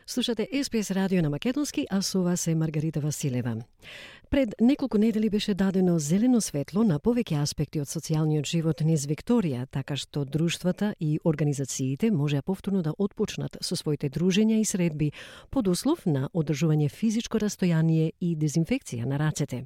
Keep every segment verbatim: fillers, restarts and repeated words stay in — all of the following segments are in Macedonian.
Слушате Ес Би Ес радио на македонски, а со вас е Маргарита Василева. Пред неколку недели беше дадено зелено светло на повеќе аспекти од социјалниот живот низ Викторија, така што друштвата и организациите можеа повторно да отпочнат со своите дружења и средби под услов на одржување физичко растојание и дезинфекција на рацете.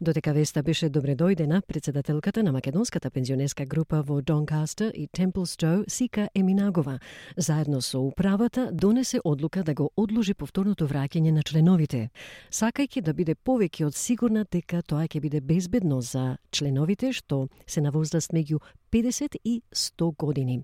Дотека веста беше добре дојдена, председателката на македонската пензионерска група во Донкастер и Темплстоу, Сика Еминагова, заедно со управата донесе одлука да го одложи повторното враќање на членовите, сакајќи да биде повеќе од сигурна дека тоа ќе биде безбедно за членовите што се на возраст меѓу педесет и сто години.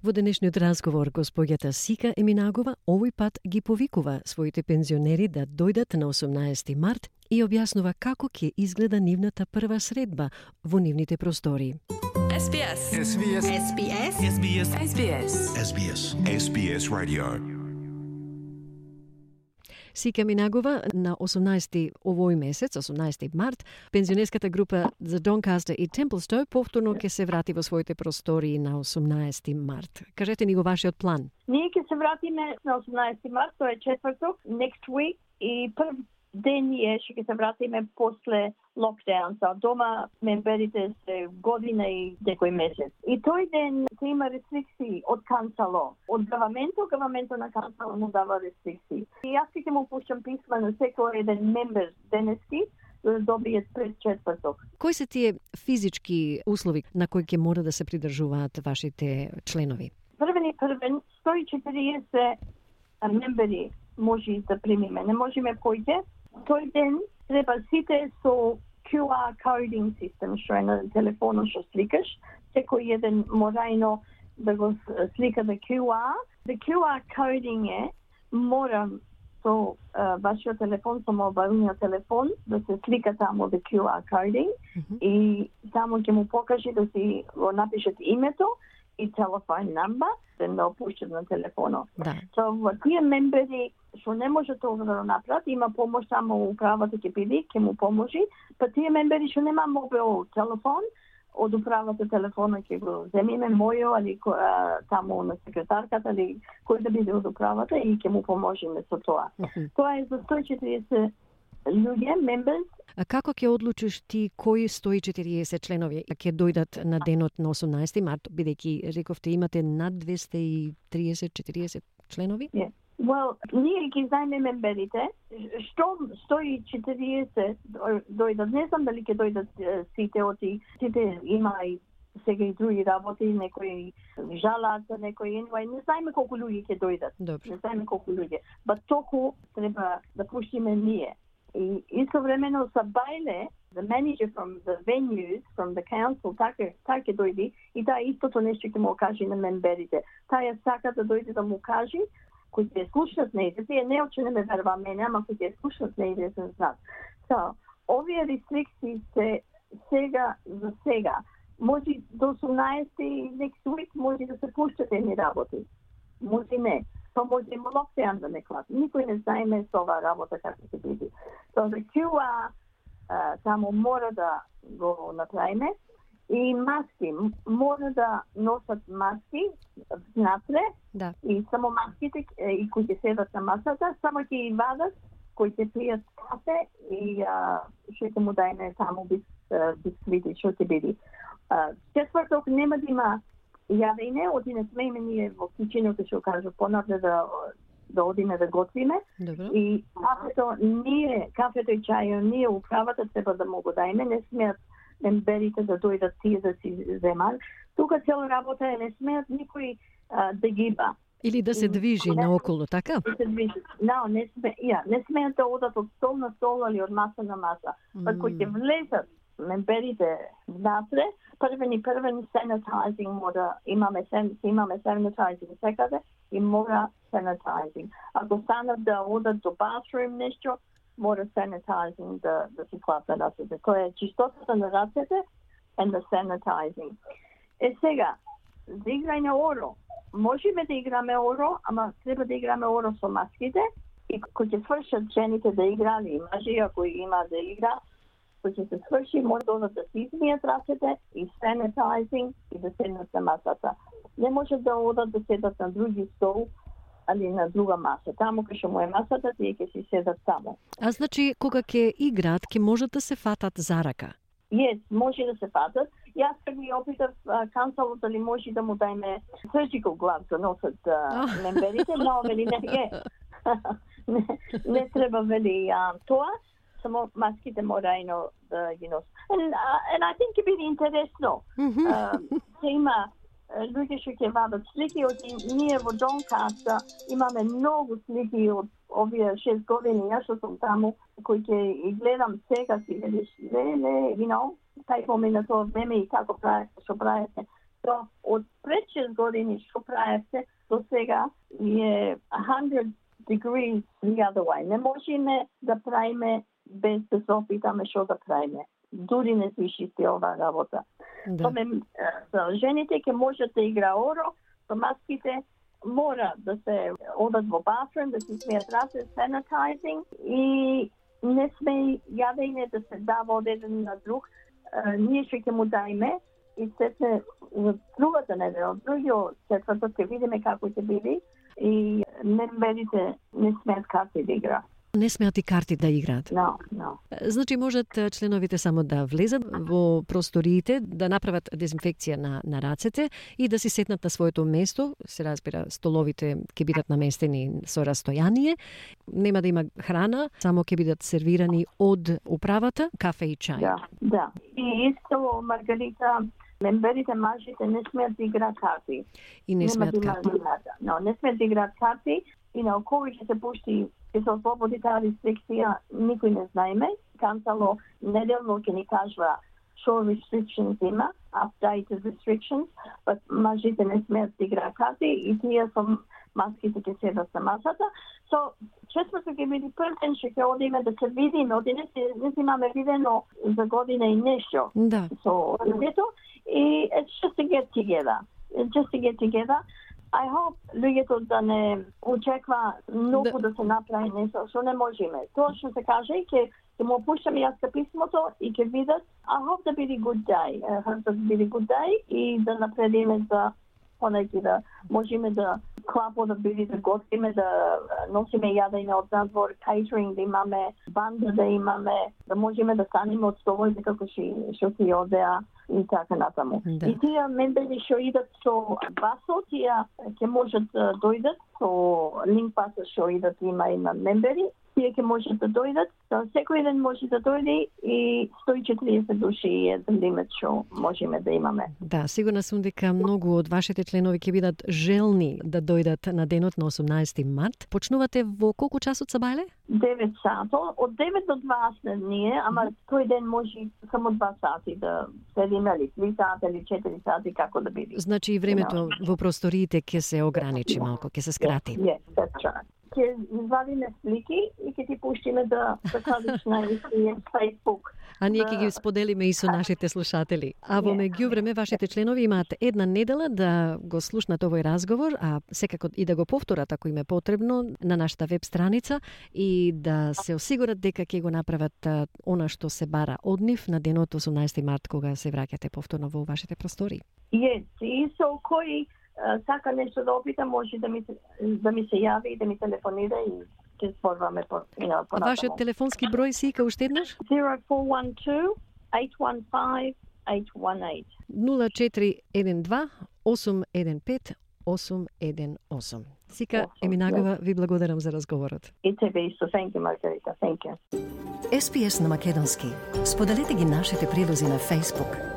Во денешниот разговор, госпоѓата Сика Еминагова овој пат ги повикува своите пензионери да дојдат на осумнаесети март и објаснува како ќе изгледа нивната прва средба во нивните простори. Ес Би Ес. Ес Би Ес. Ес Би Ес. Ес Би Ес. Ес Би Ес. Ес Би Ес. Ес Би Ес Radio. Сика Еминагова на осумнаесети овој месец, осумнаесети март, пензионерската група за Донкастер и Темплстоу повторно ќе се врати во своите простори на осумнаесети март. Кажете ни го вашиот план. Ние ќе се вратиме на осумнаесети март, тоа е четврток, next week, и прв ден ние ќе се вратиме после локдаун. Са дома мемберите се година и некој месец. И тој ден ќе има рестрикции од канцало. Од гаваменто, гаваменто на канцало му дава рестрикции. И јас ќе му пуштам писма на секој еден мембер денески да добијат пред четврток. Кои се тие физички услови на кои ќе мора да се придржуваат вашите членови? Првен и првен, сто и четириесет мембери може да примиме. Не можеме појде. Тој ден треба сите со кју ар coding систем, што е на телефонот што сликаш. Секој еден морајно да го слика да кју ар. Да кју ар coding е, мора со uh, вашиот телефон, со мобилниот телефон, да се слика таму да кју ар coding mm-hmm. и таму ќе му покаже да си го напишат името и телефон номер, да не опуштат на телефонот. Да. So, во тие мембери што не може тоа да го направат, има помош само управата ќе биде, ќе му поможи. Па тие мембери што нема мобил телефон, од управата телефона ќе го земиме мојо или таму на секретарката или кој да биде од управата и ќе му поможиме со тоа. Mm-hmm. Тоа е за сто и четириесет луѓе, members. А како ќе одлучиш ти кои сто и четириесет членови ќе дојдат на денот на осумнаесети март, бидејќи рековте имате над двесте и триесет до четириесет членови? Yeah. Well, ние ги знаеме мемберите, што сто и четириесет дојдат, не знам дали ќе дојдат сите оти, сите има и сега и други работи, некои жалат, некои anyway, не знаеме колку луѓе ќе дојдат. Добре. Не знаеме колку луѓе. Ба току треба да пуштиме ние. И истовремено са бајле, the manager from the venues, from the council, така така дојди и таа истото нешто ќе му каже на мемберите. Таа сака да дојде да му каже кои ќе слушнат нејде, тие не очи не ме верва мене, ама кои ќе слушнат нејде за нас. So, овие рестрикции се сега за сега. Може до осумнаесети next week може да се пуштат едни работи. Може не. Тоа може има локдаун да не клад. Никој не знаеме со оваа работа како ќе биде. So, the кју ар uh, само мора да го направиме. И маски, мора да носат маски внатре, да. И само маските и кои ќе седат на масата, само ќе ги вадат, кои ќе пијат кафе и а, што ќе му дајме таму бис, бисквити, што ќе биде. Четврток нема да има јадење, оти не смееме ние во кичиното, што кажу, понатре да да одиме да готвиме. Добро. И кафето, ние, кафето и чајот, ние управата треба да му го дајме, не смеат мемберите да дојдат тие да си земат. Тука цела работа е не смеат никој а, да гиба. Или да се движи не, наоколу, така? Да се движи. No, не сме, ја, не смеат да одат од стол на стол или од маса на маса. Mm. Па кои ќе влезат мемберите внатре, првен и првен sanitizing мора, имаме, имаме sanitizing секаде и мора sanitizing. Ако станат да одат до bathroom нешто, мора sanitizing да, да се клапа рацете. Тоа е чистотата на рацете and the sanitizing. Е сега, за играње оро. Можеме да играме оро, ама треба да играме оро со маските и кој ќе свршат жените да играли и мажи, ако има да игра, кој ќе се сврши, може да да се измијат рацете и sanitizing и да седнат на масата. Не може да одат да седат на други стол али на друга маса. Таму кај што му е масата, тие ќе си седат таму. А значи, кога ќе играат, ќе можат да се фатат за рака? Yes, може да се фатат. Јас кога ги опитав кансалот дали може да му дајме surgical gloves да носат uh, мемберите, но вели не е. не, не треба вели uh, тоа, само маските морајно да ги носат. And, uh, and I think ќе биде интересно. Uh, ќе има луѓе што ќе вадат слики од ние во Донкаста, имаме многу слики од овие шест години, јас што сум таму, кои ќе и гледам сега си велиш, леле, you know, тај помина тоа време и како правите, што правите. То од пред шест години што правите до сега е one hundred degrees the other way. Не можеме да правиме без да се опитаме што да правиме. Дури не се чисти ова работа. Да. Томе, за жените ќе можат да игра оро, со маските мора да се одат во бафрум, да се смеат раце, sanitizing и не сме јадење да се дава од еден на друг. Uh, ние што ќе му дајме и се се другата недела, другиот четврток ќе видиме како ќе биде и мемберите не смеат карти да игра. Не смеат и карти да играат? No, no. Значи можат членовите само да влезат во просториите, да направат дезинфекција на, на рацете и да си сетнат на своето место. Се разбира, столовите ќе бидат наместени со растојание. Нема да има храна, само ќе бидат сервирани од управата, кафе и чај. Да, да. И исто, Маргарита, мемберите мажите не смеат да играат карти. И не смеат да карти. No, не смеат да играат карти и на кога ќе се пушти ќе се ослободи таа рестрикција, никој не знаеме. Кансало неделно ќе ни кажува што restrictions има, updated restrictions, but мажите не смеат да играат карти и тие со маските ќе седат на масата. So, четврток ќе биде прв ден што ќе одиме да се видиме, оди не си, не си имаме видено за година и нешто. Да. So, дето, и it's just to get together. It's just to get together. I hope луѓето да не очеква многу да, да се направи нешто што не можеме. Тоа што се каже и ќе ќе му пуштам јас писмото и ќе видат. I hope да биде good day. I hope да биде good day и да напредиме за понеки да можеме да клапо да биде да готвиме, да носиме јадење од надвор, catering да имаме, банда да имаме, да можеме да станеме од столовите како што си одеа и така натаму. Да. И тие мембери што идат со басо, тие ќе можат да дојдат со линк паса што идат, има и на мембери, тие ќе можат да дојдат. So, секој ден може да дојде и сто и четиридесет души е лимит што можеме да имаме. Да, сигурна сум дека многу од вашите членови ќе бидат желни да дојдат на денот на осумнаесети март. Почнувате во колку часот сабајле? девет сато, од девет до дваесет ние, ама тој ден може само два сати да седиме, или три сати, или четири сати, како да биде. Значи и времето no. во просториите ќе се ограничи малку, ќе се скрати. Yes, yes, that's right. Ќе извадиме слики и ќе ти пуштиме да се кладиш на Facebook. А ние ќе ги споделиме и со нашите слушатели. А во меѓувреме вашите членови имаат една недела да го слушнат овој разговор, а секако и да го повторат ако им е потребно на нашата веб страница и да се осигурат дека ќе го направат она што се бара од нив на денот осумнаесети март кога се враќате повторно во вашите простори. Yes, и со кој сака нешто да опита, може да ми се, да ми се јави и да ми телефонира и ќе зборуваме по по. Вашиот телефонски број си ка уште еднаш? zero four one two eight one five eight one eight. нула четири еден два осум еден пет осум еден осум. Сика Еминагова, ви благодарам за разговорот. И тебе исто. Thank you, Margarita. Thank you. Ес Би Ес на македонски. Споделете ги нашите прилози на Facebook.